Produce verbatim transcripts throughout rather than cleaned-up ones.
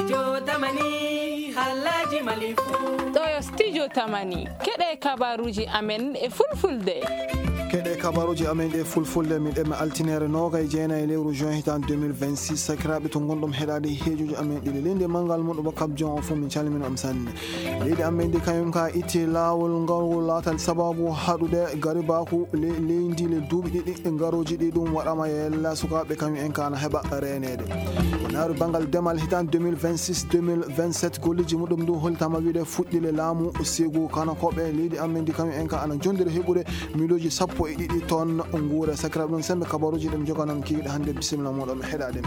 Yo tamani, halaji malifu. Ɗo yo studio tamani. Keɗe kabaruji amen e fulfulde. Keɗe kabaruji amen e fulfulde, min ɗemme altinere noga e jeenayi lewru juin hitan deux mille vingt-six. Sakiraaɓe to ngonɗon heɗaade heejoji amen ɗiɗi. Leydi e manngal muɗum kabjon o fof min calmini on sanne. Leydi amen ndi kañum ka itti laawol ngol laatal sababu haɗude garibaku le-, leydi le duuɓi ɗiɗi ngaroji ɗi ɗum waɗama e yalla sukaaɓe kañum en ka na heɓa reeneede. Ko naaru banngal demal hitan deux mille vingt-six deux mille vingt-sept golleji muɗum ndu holtama wiide fuɗɗi le laamu segu kana koɓe leydi amen ndi kañum en ka ana jondiri heɓude miloji sappo e ɗiɗi tonnes nguure. Sakiraaɓe ɗum sembe kabaruji ɗum joganon kikiɗe hannde bisimilla muɗum heɗaade.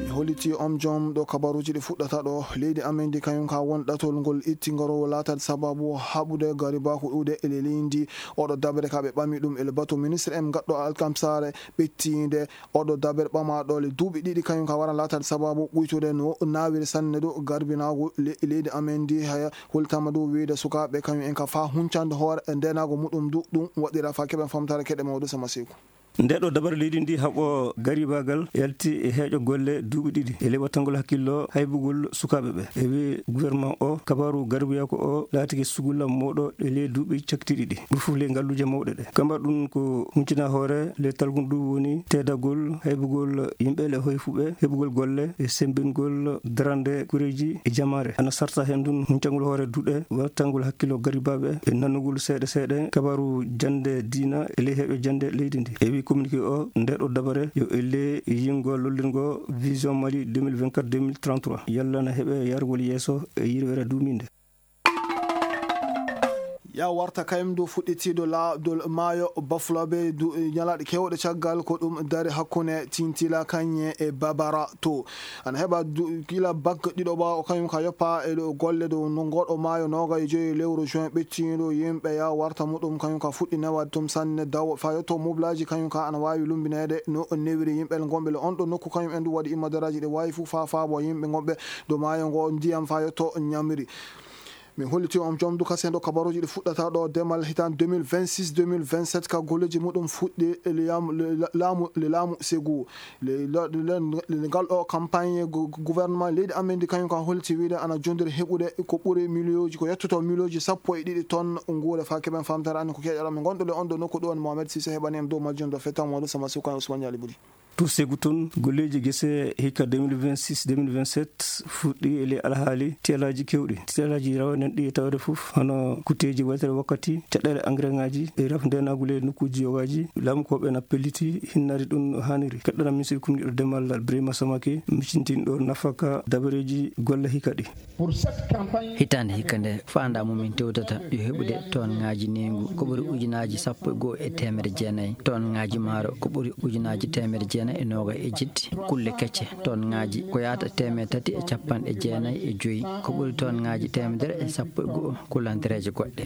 Mi holliti on joom ɗo kabaruji ɗi fuɗɗata ɗo. Leydi amen ndi kañum ka won ɗatol ngol itti ngaro laatat sababu haɓude garibaku ɗuuɗe e le leydi. Oɗo dabere ka ɓe ɓami ɗum e le bato ministre en gaɗɗo alkamsare ɓettiinde. Oɗo dabere ɓama ɗo le duuɓi ɗiɗi kañum ka waran laatat sababu ɓuytude no nawiri sanne ɗo garbinagu le-, leydi amen ndi haya holtama ɗo wiide sukaaɓe kañum en ka fa huncande hoore e ndenago muɗum du ɗum waɗira fa keɓen famtare keɗe mawɗo sama siku. Nde ɗo dabare leydi ndi haɓo garibagal yalti e heeƴo golle duuɓi ɗiɗi e ley wattangol hakkillo haybugol sukaaɓe ɓe. E wi gouvernement o, kabaru garibuyako o laatike sugulla moɗo e ley duuɓi cakti ɗiɗi. Ɗum fof ley ngalluuje mawɗe ɗe. Kamba ɗum ko huncina hoore ley talgun ɗum woni teedagol haybugol yimɓe le hoyfuɓe, heɓugol golle e sembingol darande kureeji e jamaare. Ana sarta heen ɗum huncangol hoore duɗe, wattangol hakkillo garibaaɓe e nanugol seeɗa seeɗa kabaru jannde diina e ley heɓe jannde leydi ndi. E wi communiqué o, nde ɗo dabare yo elle yingo lollirgo Vision Mali deux mille vingt-quatre deux mille trente-trois. Yalla na heɓe yargol yeeso e yirwere duuminde. Ya warta kayim dow fuɗɗitiiɗo la-, dow maayo Bafulabe du-, ñalaaɗe keewɗe caggal ko ɗum dari hakkunde Tintila Kañe e Babara to. Ana heɓa du-, gila bak ɗiɗo ɓaawo kañum ka yoppa e ɗo golle dow no ngoɗo maayo nooga e joyi lewru juin ɓettiiɗo yimɓe ya warta muɗum kañum ka fuɗɗi newaade tum sanne dawo fa yotto mublaaji kañum ka ana waawi lumbineede no newiri yimɓe ngonɓe le on ɗo nokku kañum en du waɗi immadaraaji ɗe waawi fof fa faabo yimɓe ngonɓe dow maayo ngo ndiyam fa yotto ñamri. Min holliti on jom du kasen ɗo kabaruji ɗi fuɗɗata ɗo demal hitan deux mille vingt-six deux mille vingt-sept ka golleji muɗum fuɗɗi e liyam-, le-, la-, laamu, le laamu segu. Le, le, le, le, ngal ɗo campagne gu-, gu-, gouvernement leydi amen ndi kañum ka holliti wiide ana jondiri heɓude ko ɓuri miliyonji, ko yettoto miliyonji sappo e ɗiɗi tonnes nguure fa keɓen famtare annen ko keƴaɗo. Min gonɗo le on ɗo nokku ɗo woni Mohamed Sise heɓani en dow majjum ɗo fettan wonde sama sukan Ousmane Yali Budi. To segu toon, golleeji gese hikka deux mille vingt-six deux mille vingt-sept fuɗɗi e ley alhaali tiyalaaji keewɗi. Tiyalaaji rawanen ɗi e tawde fof, hono kutteeji waytere wakkati, caɗeele engrais ŋaaji e rafdeenaagu ley nokkuuji yogaaji. Laamukooɓe na pelliti hinnade ɗum no haaniri. Keɗɗana ministre kumniiɗo demal Birima Samake, micintinɗo nafaka dabareeji golle hikka ɗi. Hitaande hikka nde faandaa mo min tewtata yo heɓude toonŋaaji neengu ko ɓuri ujunaaji sappo e go'o e teemedde jeenayi, toonŋaaji maaro ko ɓuri ujunaaji teemedde jeenayi e noogay e jetti, kulle kecce toonŋaaji ko yahata teemedde tati e capanɗe jeenayi e joyi, ko ɓuri toonŋaaji teemedere e sappo e go'o kulantereeje goɗɗe.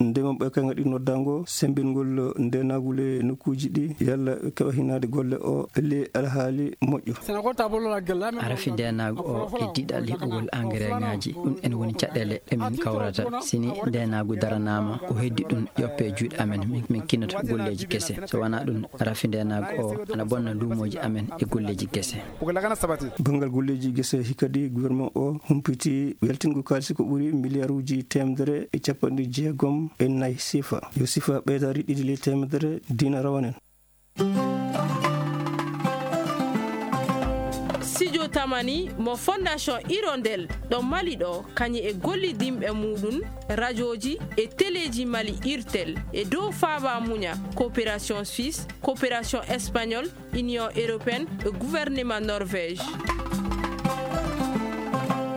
Ndema ɓoyka ngaɗi noddaango sembingol ndeenagu le nokkuuji ɗi yalla keɓa hinaade golle o le alhaali moƴƴo. Arafi ndeenaagu o e diɗal heɓugol engrais ŋaaji, ɗum en woni caɗeele ɗe min kawrata. Sini ndeenaagu daranaama ko heddi ɗum yoppe juuɗe amen, min, min kinata golleeji gese. So wonaa ɗum, rafi ndeenaagu o ana bonna luumooji amen e golleeji gese. Banngal golleeji gese hikadi gouvernement o humpiti yaltingol kaalisi ko ɓuri miliyaaruuji teemedere e capanɗe jeegom e nayi sifa. Yo sifa ɓeydaari ɗiɗi ley teemedere dina rawanen. Studio Tamani mo Fondation Hirondelle ɗo Mali ɗo, kañum e gollidinɓe muɗum, rajooji e teleeji Mali Irtel e dow faaba muña, coopération suisse, coopération espagnole, Union européenne e gouvernement Norvège.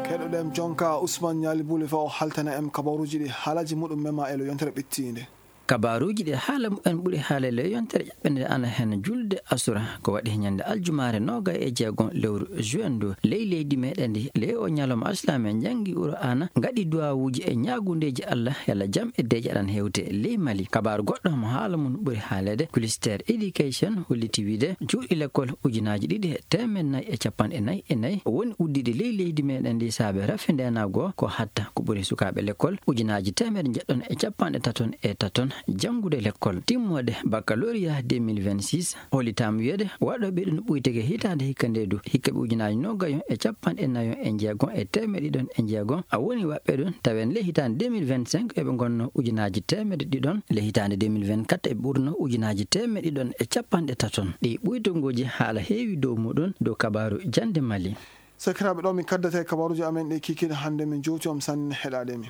Keɗoɗen jonka Ousmane Ñaali Buli fa o haltana en kabaruuji ɗi haalaji muɗum mema e lo yontere ɓettiinde. Kabaaruuji ɗi haala mumen ɓuri haalele yontere ƴaɓɓende ana heen julde asura ko waɗi ñande aljumaare noogay e jeegom lewru juin ndu ley leydi meɗen ndi. Ley o ñalawma alsilaame en janngi Qur'aana, ngaɗi duwaawuuji e ñaagundeeji Allah yalla jam e deeƴe aɗan hewte ley Mali. Kabaaru goɗɗo mo haala mum ɓuri haalede, Kulister Education holliti wiide cuuɗi lekkol ujunaaji ɗiɗi e teemeɗɗe nayi e capanɗe nayi e nayi o woni uddiɗi ley leydi meɗen ndi saabe rafi ndeenaagu o ko hatta ko ɓuri sukaaɓe lekkol ujunaaji teemeɗɗe njeɗɗon e capanɗe taton e taton Janngude lekkol timmoode baccalauréat deux mille vingt-six, hollitaama wiyeede waɗooɓe ɗum ɓuyteke hitaande hikka nde du, hikka ɓe ujunaaji noogayon e capanɗe nayon e njeegon e teemeɗe ɗiɗon e njeegon, a woni waɗɓe ɗum, tawen le hitaande deux mille vingt-cinq eɓe ngonno ujunaaji teemeɗe ɗiɗon, le hitaande deux mille vingt-quatre eɓe ɓurno ujunaaji teemeɗe ɗiɗon e capanɗe taton. Ɗi ɓuytungooji haala heewi dow muɗum dow kabaaru jannde Mali. Sakiraaɓe, ɗo min kaddata e kabaaruuji amen ɗi kikiiɗe hannde, min jowti on sanne heɗaade min.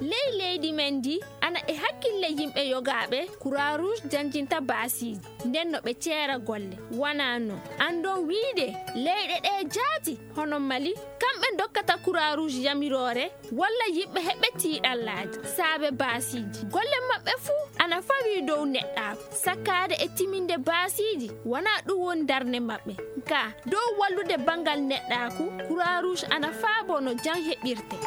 Ley leydi men ndi, ana e hakkille yimɓe yogaaɓe Croix Rouge janjinta baasiiji, nden no ɓe ceera golle. Wanaa non. Anndon wiide leyɗe ɗe jaati, hono Mali, kamɓe dokkata Croix Rouge yamiroore, walla yimɓe heɓɓe tiiɗallaaji saabe baasiiji. Golle maɓɓe fuu ana fawii dow neɗɗaaku. Sakkaade e timinde baasiiji, wanaa ɗum woni darnde maɓɓe. Kaa, dow wallude banngal neɗɗaaku, Croix Rouge ana faaboo no jam heɓirte.